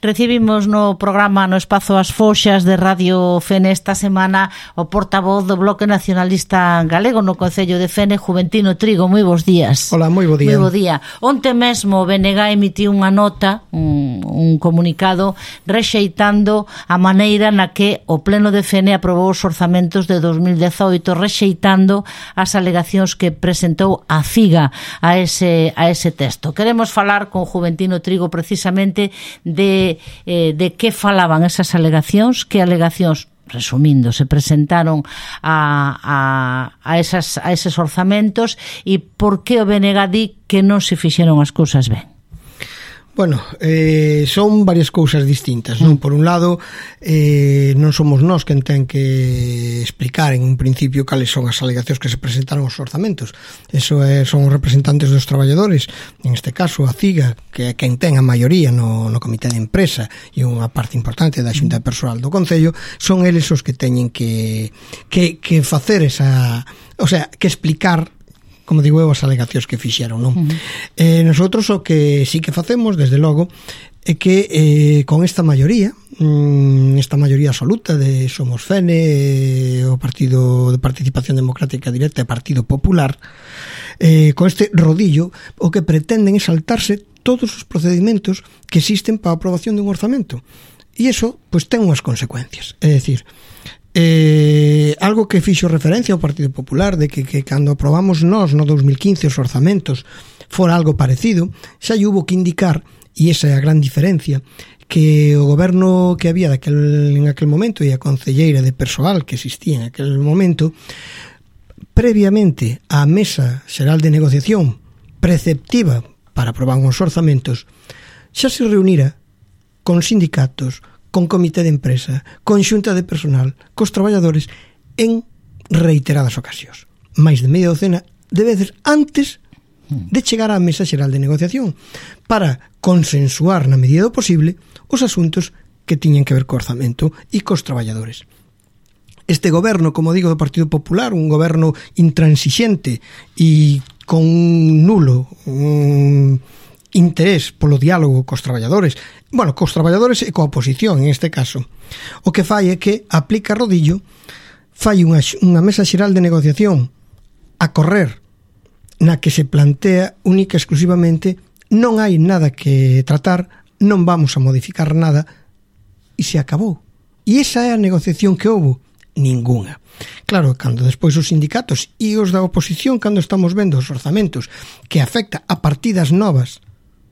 Recibimos no programa no espazo As Foxas de Radio Fene esta semana o portavoz do Bloque Nacionalista Galego no Concello de Fene, Juventino Trigo. Moi bons días. Hola, moi bo día. Moi bo día. Onte mesmo o BNG emitiu unha nota, un comunicado rexeitando a maneira na que o Pleno de Fene aprobou os orzamentos de 2018, rexeitando as alegacións que presentou a CIGA a ese texto. Queremos falar con Juventino Trigo precisamente de que falaban esas alegacións, que alegacións, resumindo, se presentaron a eses orzamentos e por que o BNG di que non se fixeron as cousas ben. Bueno, son varias cousas distintas, non? Por un lado, non somos nós quen ten que explicar en un principio cales son as alegacións que se presentaron aos orzamentos. Eso son os representantes dos traballadores, en este caso a CIGA, que é quen ten a maioría no comité de empresa e unha parte importante da xunta de persoal do Concello, son eles os que teñen que facer esa, o sea, que explicar, como digo eu, as alegacións que fixeron, non? Nosotros o que sí que facemos, desde logo, é que con esta maioría absoluta de Somos Fene, o Partido de Participación Democrática Directa e Partido Popular, con este rodillo, o que pretenden é saltarse todos os procedimentos que existen para a aprobación dun orzamento. E iso, pois, ten unhas consecuencias. É dicir, algo que fixo referencia ao Partido Popular de que cando aprobamos nós no 2015 os orzamentos fora algo parecido, xa hubo que indicar, e esa é a gran diferencia, que o goberno que había en aquel momento e a concelleira de persoal que existía en aquel momento, previamente á mesa xeral de negociación preceptiva para aprobar os orzamentos, xa se reunira con sindicatos, con comité de empresa, con xunta de personal, cos traballadores, en reiteradas ocasións. Máis de media docena de veces antes de chegar á mesa xeral de negociación para consensuar na medida do posible os asuntos que tiñen que ver co orzamento e cos traballadores. Este goberno, como digo, do Partido Popular, un goberno intransixente e con nulo interés polo diálogo cos traballadores, bueno, cos traballadores e coa oposición en este caso, o que fai é que aplica rodillo, fai unha mesa xeral de negociación a correr na que se plantea única e exclusivamente non hai nada que tratar, non vamos a modificar nada e se acabou. E esa é a negociación que houve, ningunha. Claro, cando despois os sindicatos e os da oposición, cando estamos vendo os orzamentos que afecta a partidas novas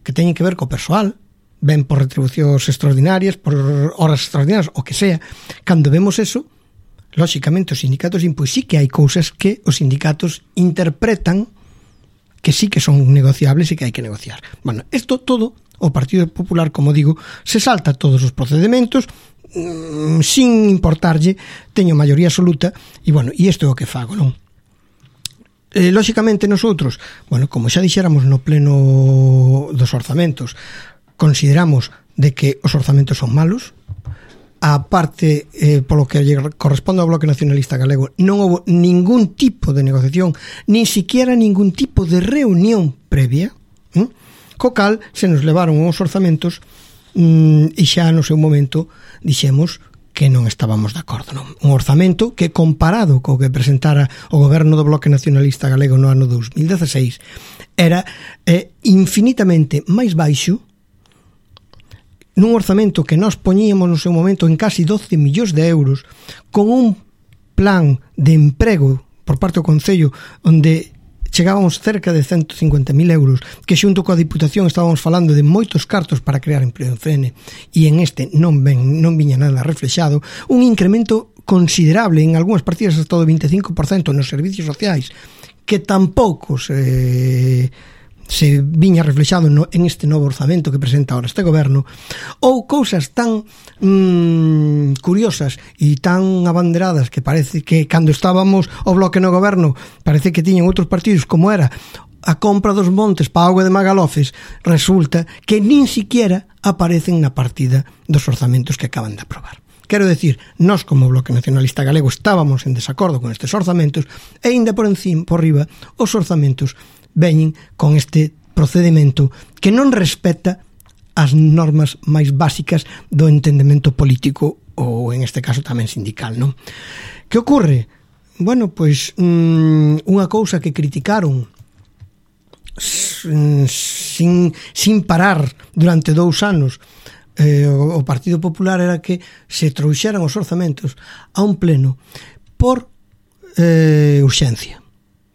que teñen que ver co persoal, ben por retribucións extraordinarias, por horas extraordinarias, o que sea, cando vemos eso, lóxicamente os sindicatos pois sí que hai cousas que os sindicatos interpretan que sí que son negociables e que hai que negociar. Bueno, isto todo, o Partido Popular, como digo, se salta todos os procedimentos sin importarlle, teño maioría absoluta e, bueno, e isto é o que fago, non? Lóxicamente nosotros, bueno, como xa dixéramos no pleno dos orzamentos, consideramos de que os orzamentos son malos. A parte, polo que corresponde ao Bloque Nacionalista Galego, non houve ningún tipo de negociación, nin siquiera ningún tipo de reunión previa, co cal se nos levaron os orzamentos e xa no seu momento dixemos que non estábamos de acordo, non? Un orzamento que, comparado co que presentara o goberno do Bloque Nacionalista Galego no ano 2016, era infinitamente máis baixo, nun orzamento que nós poñíamos no seu momento en casi 12 millóns de euros, con un plan de emprego por parte do Concello onde chegábamos cerca de 150.000 euros, que xunto coa Diputación estábamos falando de moitos cartos para crear emprego en Fene, e en este non viña nada reflexado, un incremento considerable en algunhas partidas hasta do 25% nos servicios sociais, que tampouco se viña reflexado en este novo orzamento que presenta ahora este goberno, ou cousas tan curiosas e tan abanderadas que parece que cando estábamos o Bloque no goberno parece que tiñen outros partidos, como era a compra dos montes para a auga de Magalofes, resulta que nin siquiera aparecen na partida dos orzamentos que acaban de aprobar. Quero decir, nós como Bloque Nacionalista Galego estábamos en desacordo con estes orzamentos e ainda por riba os orzamentos veñen con este procedimento que non respeta as normas máis básicas do entendemento político ou en este caso tamén sindical, non? Que ocorre? Bueno, pois unha cousa que criticaron sin parar durante 2 anos o Partido Popular era que se trouxeran os orzamentos a un pleno por urxencia,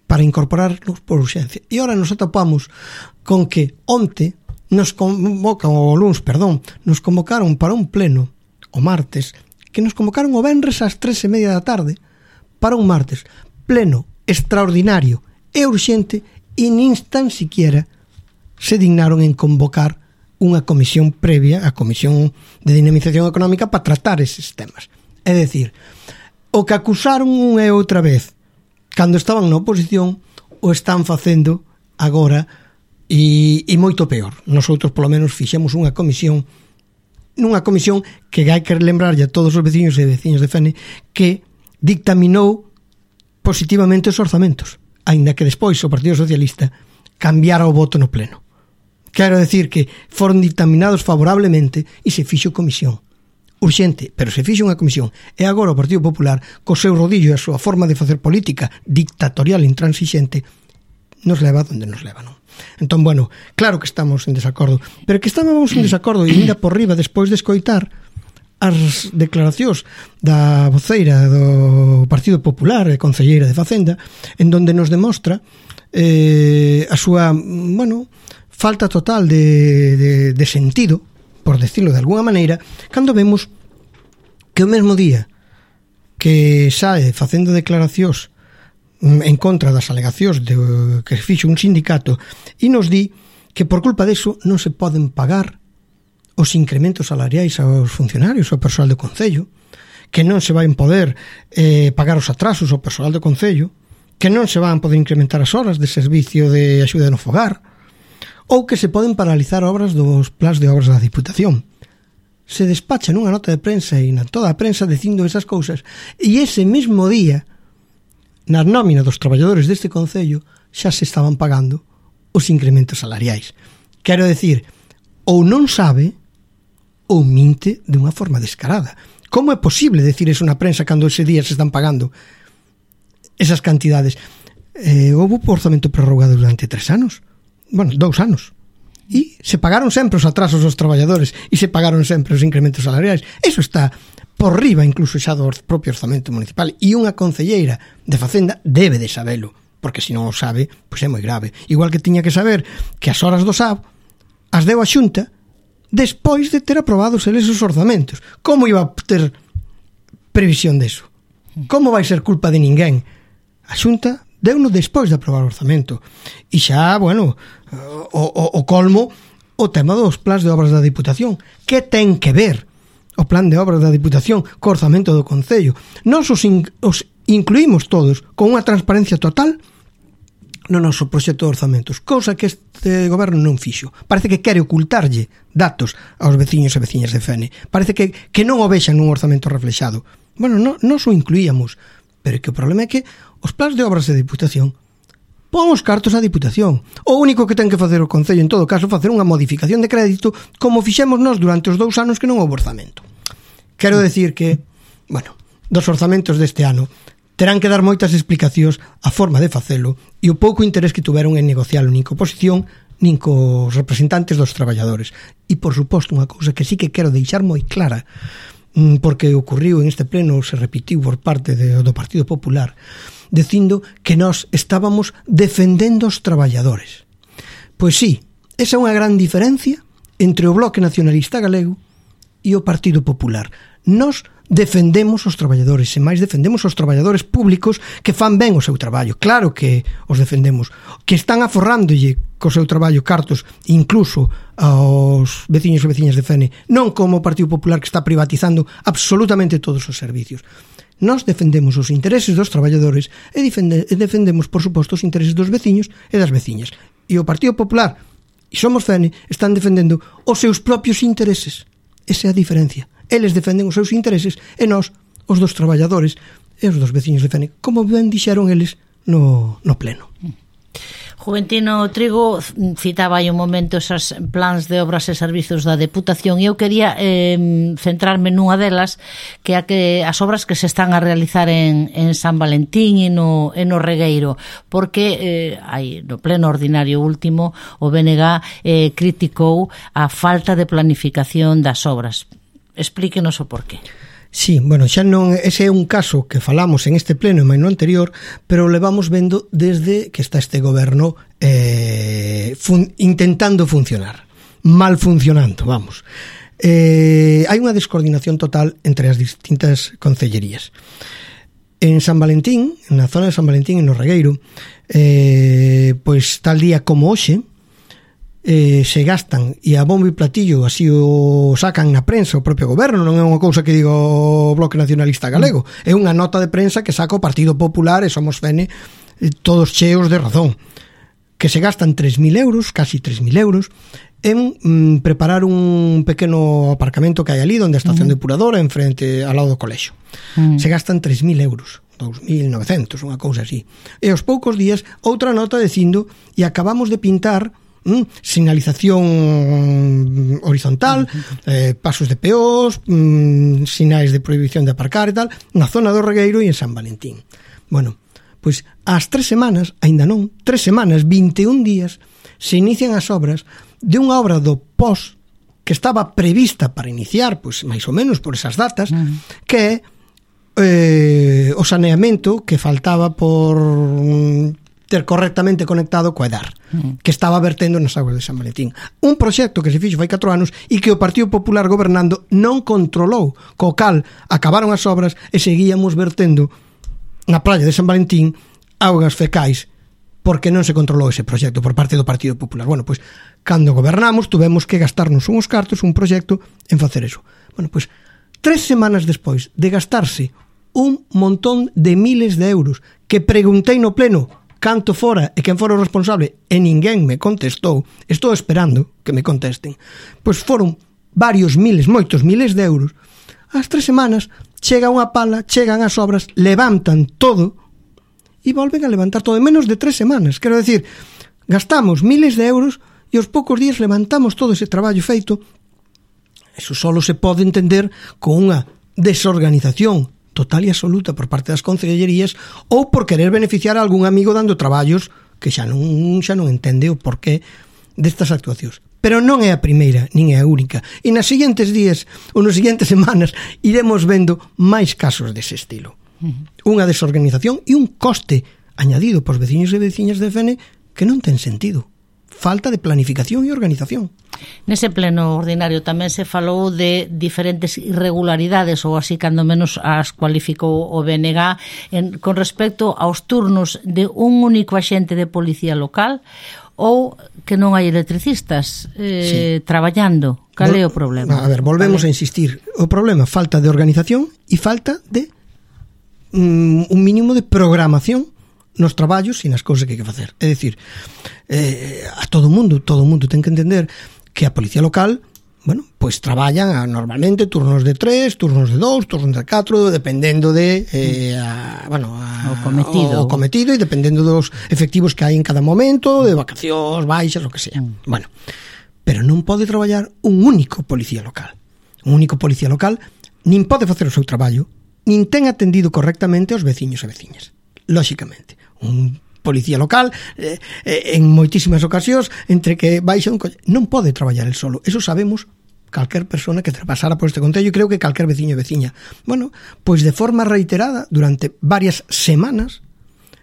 para incorporarnos por urxencia. E ora nos atopamos con que onte nos convocaron para un pleno o martes, que nos convocaron o venres ás 3:30 da tarde para un martes, pleno extraordinario e urxente, e nin tan siquiera se dignaron en convocar unha comisión previa, a Comisión de Dinamización Económica, para tratar eses temas. É dicir, o que acusaron unha e outra vez cando estaban na oposición o están facendo agora e moito peor. Nosotros polo menos fixemos unha comisión que hai que lembrarlle a todos os veciños e veciñas de Fene que dictaminou positivamente os orzamentos, aínda que despois o Partido Socialista cambiara o voto no pleno. Quero decir que foron dictaminados favorablemente e se fixo comisión urxente, pero se fixo unha comisión. E agora o Partido Popular, co seu rodillo e a súa forma de facer política dictatorial e intransixente, nos leva onde nos leva, non? Entón, bueno, claro que estamos en desacordo, pero que estábamos en desacordo e ainda por riba despois de escoitar as declaracións da voceira do Partido Popular e concelleira de Facenda, en donde nos demostra a súa, falta total de sentido, por decirlo de alguna maneira, cando vemos que o mesmo día que sae facendo declaracións en contra das alegacións que fixo un sindicato e nos di que por culpa deso non se poden pagar os incrementos salariais aos funcionarios, ao persoal do Concello, que non se van poder pagar os atrasos ao persoal do Concello, que non se van poder incrementar as horas de servicio de axuda no fogar, ou que se poden paralizar obras dos plans de obras da Diputación. Se despacha nunha nota de prensa e na toda a prensa dicindo esas cousas, e ese mesmo día, na nómina dos traballadores deste Concello, xa se estaban pagando os incrementos salariais. Quero decir, ou non sabe ou minte de unha forma descarada. Como é posible decir eso na prensa cando ese día se están pagando esas cantidades? Houve orzamento prorrogado durante 3 anos. 2 anos. E se pagaron sempre os atrasos aos traballadores e se pagaron sempre os incrementos salariais. Eso está por riba incluso xa do propio orzamento municipal. E unha concelleira de Facenda debe de sabelo, porque se non o sabe, pois é moi grave. Igual que tiña que saber que as horas do SAB as deu a Xunta despois de ter aprobado eles os orzamentos. Como iba a ter previsión deso? Como vai ser culpa de ninguén? A Xunta deu-no despois de aprobar o orzamento. E xa, o colmo, o tema dos plans de obras da Diputación. Que ten que ver o plan de obras da Diputación co orzamento do Concello? Nos os incluímos todos con unha transparencia total no noso proxecto de orzamentos, cousa que este goberno non fixo. Parece que quere ocultarlle datos aos veciños e veciñas de Fene. Parece que non o vexan nun orzamento reflexado. Nos o incluíamos, pero que o problema é que os plans de obras de Diputación pon os cartos á Diputación. O único que ten que facer o Concello, en todo caso, facer unha modificación de crédito como fixemos nós durante os 2 anos que non houve orzamento. Quero decir que, dos orzamentos deste ano terán que dar moitas explicacións a forma de facelo e o pouco interés que tuveron en negocialo nin co oposición nin cos representantes dos traballadores. E, por suposto, unha cousa que sí que quero deixar moi clara, porque ocurriu en este pleno, se repitiu por parte do Partido Popular, dicindo que nós estábamos defendendo os traballadores. Pois sí, esa é unha gran diferencia entre o Bloque Nacionalista Galego e o Partido Popular. Nós defendemos os traballadores, e máis defendemos os traballadores públicos que fan ben o seu traballo. Claro que os defendemos, que están aforrándolle co seu traballo cartos incluso aos veciños e veciñas de Fene, non como o Partido Popular que está privatizando absolutamente todos os servicios. Nós defendemos os intereses dos traballadores e defendemos, por suposto, os intereses dos veciños e das veciñas. E o Partido Popular e Somos Fene están defendendo os seus propios intereses. Esa é a diferencia. Eles defenden os seus intereses e nós, os dos traballadores e os dos veciños de Fene, como ben dixeron eles no pleno. Juventino Trigo citaba aí un momento esas plans de obras e servizos da Deputación e eu quería centrarme nunha delas que é que as obras que se están a realizar en San Valentín e no Regueiro, porque aí no pleno ordinario último o BNG criticou a falta de planificación das obras. Explíquenos o porqué. Sí, bueno, xa non, ese é un caso que falamos en este pleno e máis no anterior, pero levamos vendo desde que está este goberno intentando funcionar, mal funcionando, vamos. Hai unha descoordinación total entre as distintas concellerías. En San Valentín, na zona de San Valentín, en no Regueiro, pois tal día como hoxe, se gastan e a bombo e platillo así o sacan na prensa o propio goberno, non é unha cousa que digo o Bloque Nacionalista Galego, é unha nota de prensa que saca o Partido Popular e Somos Fene, todos cheos de razón, que se gastan 3.000 euros, casi 3.000 euros en preparar un pequeno aparcamento que hai ali onde a estación depuradora enfrente ao lado do colexio. Se gastan 3.000 euros, 2.900, unha cousa así, e aos poucos días outra nota dicindo e acabamos de pintar sinalización horizontal, pasos de peós, sinais de prohibición de aparcar e tal, na zona do Regueiro e en San Valentín. Bueno, pois ás 3 semanas, aínda non, 3 semanas, 21 días, se inician as obras de unha obra do POS que estaba prevista para iniciar, pois máis ou menos por esas datas, que é o saneamento que faltaba por ter correctamente conectado coa EDAR, que estaba vertendo nas aguas de San Valentín. Un proxecto que se fixo fai 4 anos e que o Partido Popular gobernando non controlou, co cal acabaron as obras e seguíamos vertendo na praia de San Valentín augas fecais porque non se controlou ese proxecto por parte do Partido Popular. Bueno, pois, cando gobernamos, tuvemos que gastarnos uns cartos, un proxecto, en facer eso. Bueno, pois, 3 semanas despois de gastarse un montón de miles de euros que preguntei no pleno canto fora e quen fora o responsable e ninguén me contestou, estou esperando que me contesten, pois foron varios miles, moitos miles de euros. Ás 3 semanas chega unha pala, chegan as obras, levantan todo e volven a levantar todo en menos de 3 semanas. Quero decir, gastamos miles de euros e aos poucos días levantamos todo ese traballo feito. Eso solo se pode entender con unha desorganización total e absoluta por parte das concellerías ou por querer beneficiar a algún amigo dando traballos que xa non entende o porqué destas actuacións. Pero non é a primeira, nin é a única. E nas seguintes días ou nas seguintes semanas iremos vendo máis casos dese estilo. Unha desorganización e un coste añadido pos veciños e veciñas de Fene que non ten sentido. Falta de planificación e organización. Nese pleno ordinario tamén se falou de diferentes irregularidades, ou así cando menos as cualificou o BNG, con respecto aos turnos de un único axente de policía local ou que non hai electricistas traballando. Cal é o problema? A ver, volvemos a insistir. O problema, falta de organización e falta de un mínimo de programación nos traballos e nas cousas que hai que facer. É dicir, a todo mundo ten que entender que a policía local, bueno, pois traballan normalmente turnos de 3, turnos de 2, turnos de 4, dependendo de o cometido e dependendo dos efectivos que hai en cada momento, de vacacións, baixas, o que sea. Bueno, pero non pode traballar un único policía local. Un único policía local nin pode facer o seu traballo, nin ten atendido correctamente aos veciños e veciñas. Lóxicamente, un policía local en moitísimas ocasións entre que baixa un coche, non pode traballar el solo. Eso sabemos calquer persona que pasara por este concello e creo que calquer veciño e veciña. Bueno, pois de forma reiterada durante varias semanas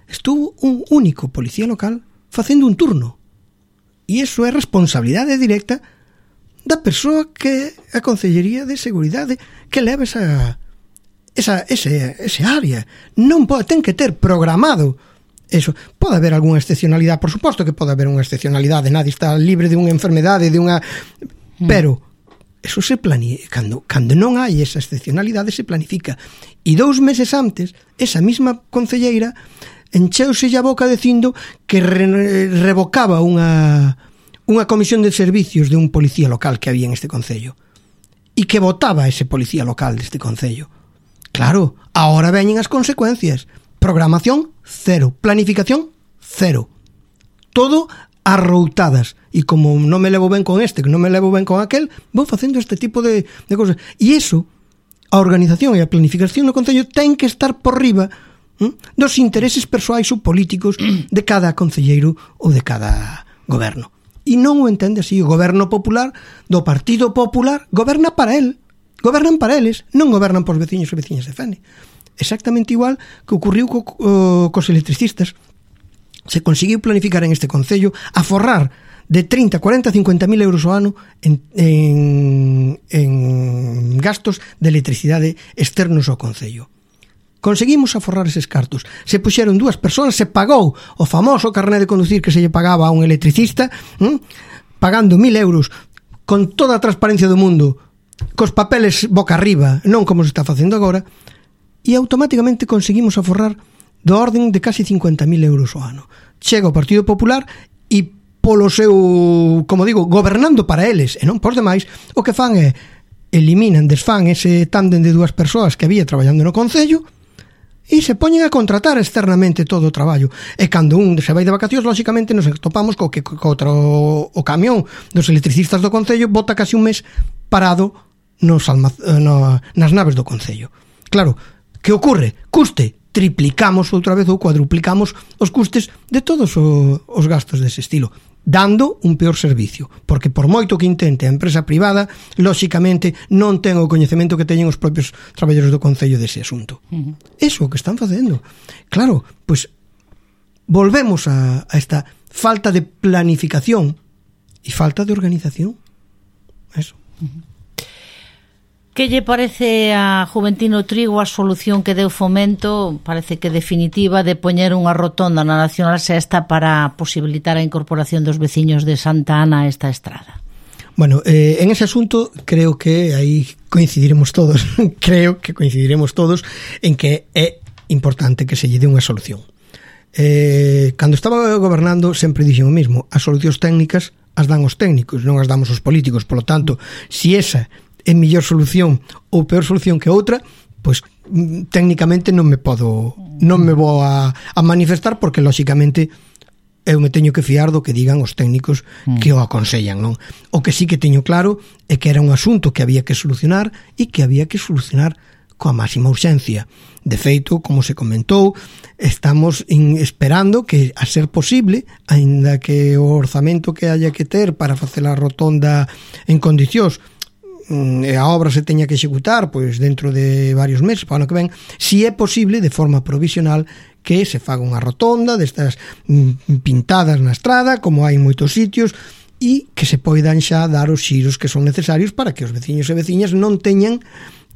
estuvo un único policía local facendo un turno. E iso é responsabilidade directa da persoa que a Concellería de Seguridade que leva ese área. Non pode, ten que ter programado eso. Pode haber algunha excepcionalidade, por suposto que pode haber unha excepcionalidade, nadie está libre de unha enfermedade, pero eso se planifica. Cando non hai esa excepcionalidade se planifica. E 2 meses antes, esa mesma concelleira encheuse a boca dicindo que revocaba unha comisión de servicios de un policía local que había en este concello e que votaba ese policía local deste concello. Claro, ahora veñen as consecuencias. Programación, 0. Planificación, 0. todo arroutadas, e como non me levo ben con este, que non me levo ben con aquel, vou facendo este tipo de cosas. E iso, a organización e a planificación no Concello ten que estar por riba dos intereses persoais ou políticos de cada concelleiro ou de cada goberno. E non o entende así. O goberno popular do Partido Popular goberna para el, gobernan para eles, non gobernan por veciños e veciñas de Fene. Exactamente igual que ocorriu cos electricistas. Se conseguiu planificar en este Concello aforrar de 30, 40, 50 mil euros ao ano en gastos de electricidade externos ao Concello. Conseguimos aforrar eses cartos. Se puxeron 2 persoas, se pagou o famoso carné de conducir que se lle pagaba a un electricista, pagando 1.000 euros con toda a transparencia do mundo, cos papeles boca arriba, non como se está facendo agora, e automáticamente conseguimos aforrar do orden de casi 50.000 euros ao ano. Chega o Partido Popular e polo seu, como digo, gobernando para eles e non por demais, o que fan é desfán ese tándem de 2 persoas que había traballando no Concello e se poñen a contratar externamente todo o traballo. E cando un se vai de vacacións, lóxicamente nos topamos co o camión dos electricistas do Concello bota casi un mes parado nas naves do Concello. Claro, que ocorre? Custe. Triplicamos outra vez ou cuadruplicamos os custes de todos os gastos dese estilo, dando un peor servicio, porque por moito que intente a empresa privada, lóxicamente non ten o coñecemento que teñen os propios traballadores do Concello dese asunto. Eso é o que están facendo. Claro, pois volvemos a esta falta de planificación e falta de organización. Eso. Que lle parece a Juventino Trigo a solución que deu Fomento, parece que definitiva, de poñer unha rotonda na Nacional Sexta para posibilitar a incorporación dos veciños de Santa Ana a esta estrada? Bueno, en ese asunto creo que aí coincidiremos todos en que é importante que se lle dé unha solución. Cando estaba gobernando sempre dixen o mismo, as solucións técnicas as dan os técnicos, non as damos os políticos. Por lo tanto, si esa é mellor solución ou peor solución que outra, pois técnicamente non me vou a manifestar, porque lóxicamente eu me teño que fiar do que digan os técnicos que o aconsellan, non? O que sí que teño claro é que era un asunto que había que solucionar e que había que solucionar coa máxima urxencia. De feito, como se comentou, estamos esperando que, a ser posible, aínda que o orzamento que haya que ter para facer a rotonda en condicións e a obra se teña que executar pois dentro de varios meses para o ano que ven, si é posible de forma provisional que se faga unha rotonda destas pintadas na estrada, como hai en moitos sitios, e que se poidan xa dar os xiros que son necesarios para que os veciños e veciñas non teñan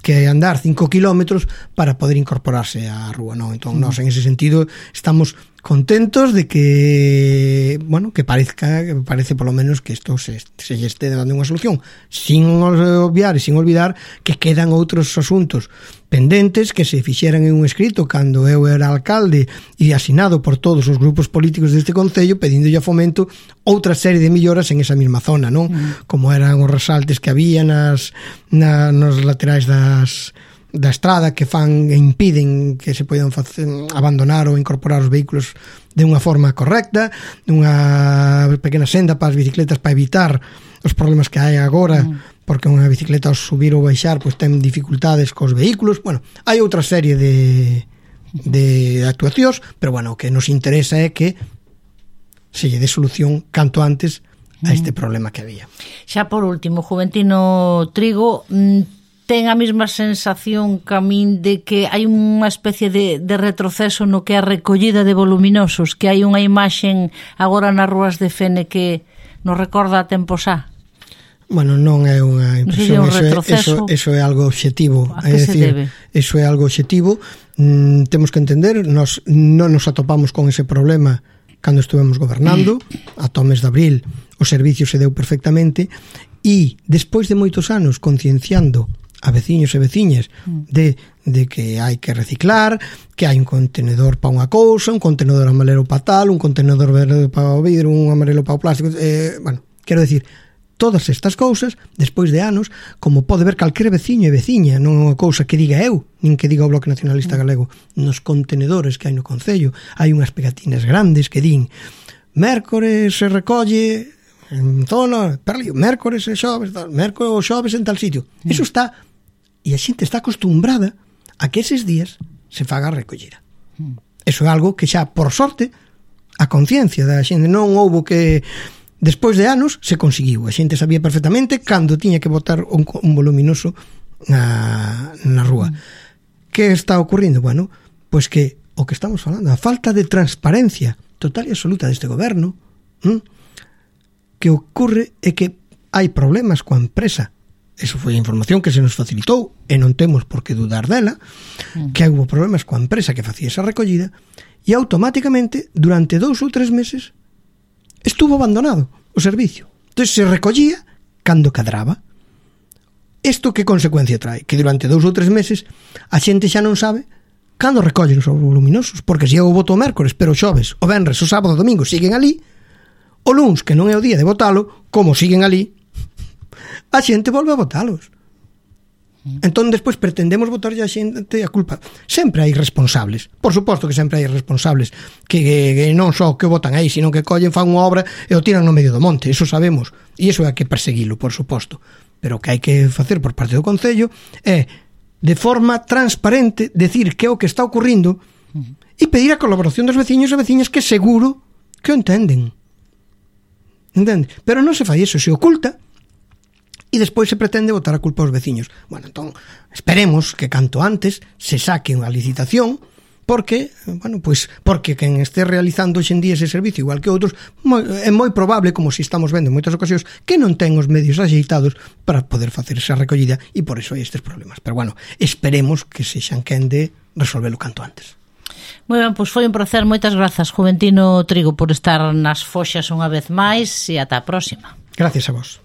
que andar 5 kilómetros para poder incorporarse á rúa, non? Entón, nós en ese sentido estamos contentos de que, bueno, que parece polo menos que isto se este dando unha solución, sin obviar e sin olvidar que quedan outros asuntos pendentes que se fixeran en un escrito cando eu era alcalde e asinado por todos os grupos políticos deste Concello pedindo a Fomento outra serie de melloras en esa mesma zona, non? Como eran os resaltes que había nos laterais da estrada que fan e impiden que se poidan abandonar ou incorporar os vehículos de unha forma correcta, unha pequena senda para as bicicletas para evitar os problemas que hai agora, porque unha bicicleta ao subir ou baixar pois ten dificultades cos vehículos. Bueno, hai outra serie de actuacións, pero bueno, o que nos interesa é que se lle dé solución canto antes a este problema que había. Xa por último, Juventino Trigo, ten a mesma sensación que a min de que hai unha especie de retroceso no que é a recollida de voluminosos, que hai unha imaxen agora nas rúas de Fene que nos recorda a tempos xa? Bueno, non é unha impresión, eso é algo obxectivo. A que se debe? Eso é algo obxectivo. Temos que entender, nos non nos atopamos con ese problema cando estuvemos gobernando, ata o mes de abril o servicio se deu perfectamente, e despois de moitos anos concienciando a veciños e veciñas de que hai que reciclar, que hai un contenedor para unha cousa, un contenedor amarelo para tal, un contenedor verde para o vidro, un amarelo para o plástico, bueno, quero decir, todas estas cousas, despois de anos, como pode ver calquera veciño e veciña, non é unha cousa que diga eu, nin que diga o Bloque Nacionalista Galego, nos contenedores que hai no Concello, hai unhas pegatinas grandes que din mércores se recolle en zona, mércores e xoves, mércores ou xoves en tal sitio. Eso está, e a xente está acostumbrada a que eses días se faga a recollida. Eso é algo que xa, por sorte, a conciencia da xente non houbo que, despois de anos, se conseguiu. A xente sabía perfectamente cando tiña que botar un voluminoso na rúa. Que está ocurrindo? Bueno, pois que o que estamos falando, a falta de transparencia total e absoluta deste goberno, que ocurre é que hai problemas coa empresa. Eso foi a información que se nos facilitou e non temos por que dudar dela, que houve problemas coa empresa que facía esa recollida e automáticamente durante 2 ou 3 meses estuvo abandonado o servicio. Entón se recollía cando cadraba. Isto que consecuencia trae? Que durante 2 ou 3 meses a xente xa non sabe cando recollen os voluminosos, porque se eu voto o mércores, pero o xoves, o venres, o sábado, o domingo siguen ali, o luns, que non é o día de votalo, como siguen ali, a xente volve a votalos. Entón, despois pretendemos votarlle a xente a culpa. Sempre hai responsables. Por suposto que sempre hai responsables que non só que votan aí, sino que collen, fan unha obra e o tiran no medio do monte. Eso sabemos. E iso hai que perseguilo, por suposto. Pero o que hai que facer por parte do Concello é, de forma transparente, decir que é o que está ocurrindo e pedir a colaboración dos veciños e veciñas que seguro que o entenden. Entende? Pero non se fai eso, se oculta e despois se pretende botar a culpa aos veciños. Bueno, entón, esperemos que canto antes se saque unha licitación porque, bueno, pois, porque quen este realizando hoxe en día ese servicio igual que outros, é moi probable, como se estamos vendo en moitas ocasións, que non ten os medios axeitados para poder facer esa recollida e por iso hai estes problemas. Pero bueno, esperemos que se xan quen de resolvelo canto antes. Moi ben, pois foi un placer, moitas grazas, Juventino Trigo, por estar nas Foxas unha vez máis e ata a próxima. Gracias a vos.